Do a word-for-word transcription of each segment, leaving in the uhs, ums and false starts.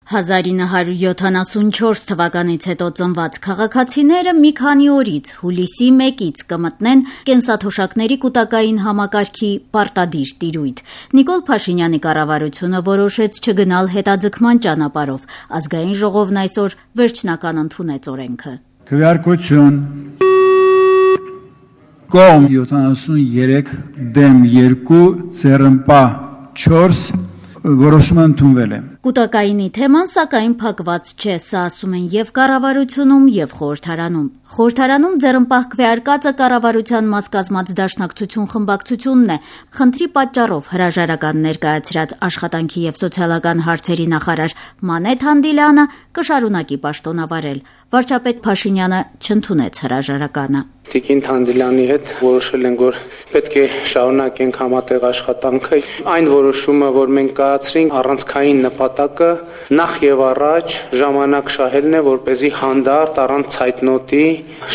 հազար նույն հարյուր յոթանասունչորս թվականից հետո ծնված քաղաքացիները մի քանի օրից հուլիսի մեկից կմտնեն կենսաթոշակների կൂട്ടակային համակարգի պարտադիր տիրույթ։ Նիկոլ Փաշինյանի կառավարությունը որոշեց չգնալ հետաձգման ճանապարհով։ Ազգային ժողովն այսօր վերջնական ընդունեց օրենքը։ Քվեարկություն կողմ յոթանասուններեք դեմ երկու ձեռնպահ չորս որոշումը ընդունվել է։ Կൂട്ടակայինի թեման սակայն փակված չէ, սա ասում են եւ կառավարությունում, եւ խորհրդարանում։ Խորհրդարանում ձեռնպահ քվեարկածը կառավարության մաս կազմած Դաշնակցություն խմբակցությունն է։ Խնդրի պատճառով հրաժարական ներկայացրած աշխատանքի եւ սոցիալական հարցերի նախարար Մանեթ Հանդիլյանը կշարունակի պաշտոնավարել։ Վարչապետ Փաշինյանը չընդունեց հրաժարականը։ Տիկին Հանդիլյանի հետ որոշել ենք, որ պետք է շարունակենք համատեղ աշխատանքը։ Այն որոշումը, որ մենք կայացրինք, առանցքային նպատակը նախ եւ առաջ ժամանակ շահելն է, որպեսզի հանդարտ առանց ցայտնոտի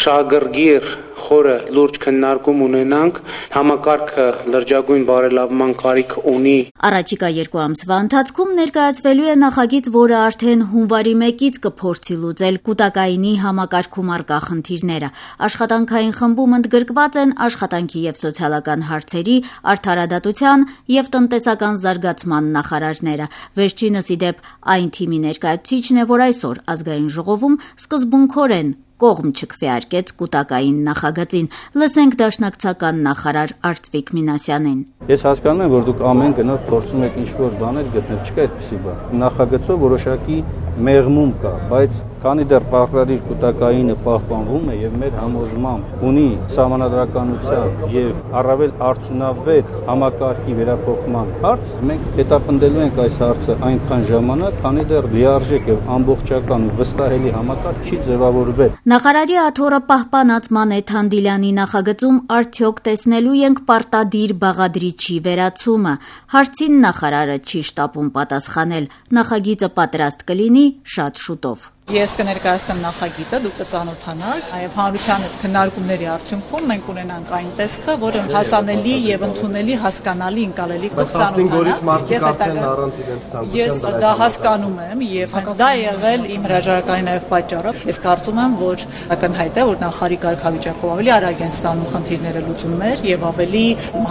շահագրգիռ խորը լուրջ քննարկում ունենանք, համակարգը լրջագույն բարելավման կարիք ունի։ Առաջիկա երկու ամսվա ընթացքում ներկայացվելու է նախագիծ, որը արդեն հունվարի մեկից կփորձի լուծել կൂട്ടակայինի համակարգում առկա խնդիրները։ Աշխատանքային խմբում ընդգրկված են աշխատանքի եւ սոցիալական հարցերի, արդարադատության եւ տնտեսական զարգացման նախարարները։ Վերջինս ի դեպ այն թիմի ներկայացուցիչն է, որ այսօր Ազգային ժողովում սկզբունքորեն կողմ չքվեարկեց կൂട്ടակային նախագծին։ Լսենք դաշնակցական նախարար Արծվիկ Մինասյանին։ Ես հասկանում եմ, որ դուք ամեն գնով փորձում եք ինչ-որ բաներ գտնել, չկա այդպիսի բան։ Նախագծով որոշակի մեղմում կա, բայց քանի դեռ պարտադիր կൂട്ടակայինը պահպանվում է եւ մեր համոզմամբ ունի սահմանադրականության եւ առավել արդյունավետ համակարգի վերափոխման հարց, մենք հետապնդելու ենք այս հարցը այնքան ժամանակ, քանի դեռ լիարժեք եւ ամբողջական ու վստահելի համակարգ չի ձևավորվել։ Նախարարի աթոռը պահպանած Մանեթ Հանդիլյանի նախագծում արդյոք տեսնելու ենք պարտադիր բաղադրիչի վերացումը։ Հարցին նախարարը չի շտապում պատասխանել։ Նախագիծը պատրաստ կլինի շատ շուտով։ Ես կներկայացնեմ նախագիծը, դուք կծանոթանաք, եւ հանրության հետ քննարկումների արդյունքում մենք ունենանք այն տեսքը, որը հասանելի եւ ընդունելի, հասկանալի, ընկալելի կցանոթանաք։ Ես դա հասկանում եմ եւ հենց դա է եղել իմ հրաժարականի նաեւ պատճառը։ Ես կարծում եմ, որ ակնհայտ է, որ նախարարի կարգավիճակով ավելի արագ են ստանում խնդիրները լուծումներ եւ ավելի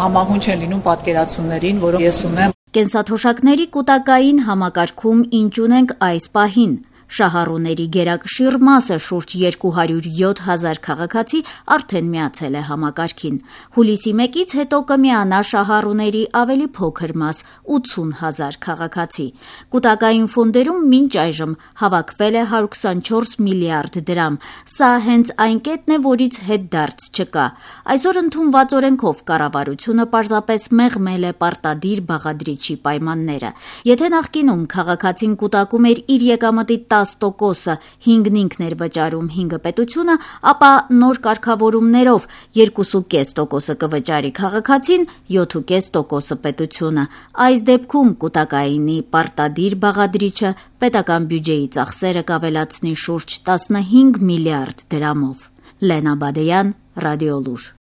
համահունչ են լինում պատկերացումներին, որոնք ես ունեմ։ Կենսաթոշակների կൂട്ടակային համակարգում ինչ ունենք այս պահին։ Շահառուների գերակշիռ մասը շուրջ երկու հարյուր յոթ հազար քաղաքացի արդեն միացել է համակարգին։ Հուլիսի մեկից հետո կմիանա շահառուների ավելի փոքր մաս՝ ութսուն հազար քաղաքացի։ Կൂട്ടակային ֆոնդերում մինչ այժմ հավաքվել է հարյուր քսանչորս միլիարդ դրամ։ Սա հենց այն կետն է, որից հետդարձ չկա։ Այսօր ընդունված օրենքով կառավարությունը պարզապես մեղմել է պարտադիր բաղադրիչի պայմանները։ Եթե նախկինում քաղաքացին կൂട്ടակում էր իր եկամտի տասը տոկոսը, հինգն ինքն էր վճարում, հինգը պետությունը, ապա նոր կարգավորումներով երկու կoma պենս տոկոսը կվճարի քաղաքացին, յոթ կoma պենս տոկոսը պետությունը։ Այս դեպքում կൂട്ടակայինի պարտադիր բաղադրիչը պետական բյուջեի ծախսերը կավելացնի շուրջ տասնհինգ միլիարդ դրամով։ Լենա Բադեյան, Ռադիոլուր։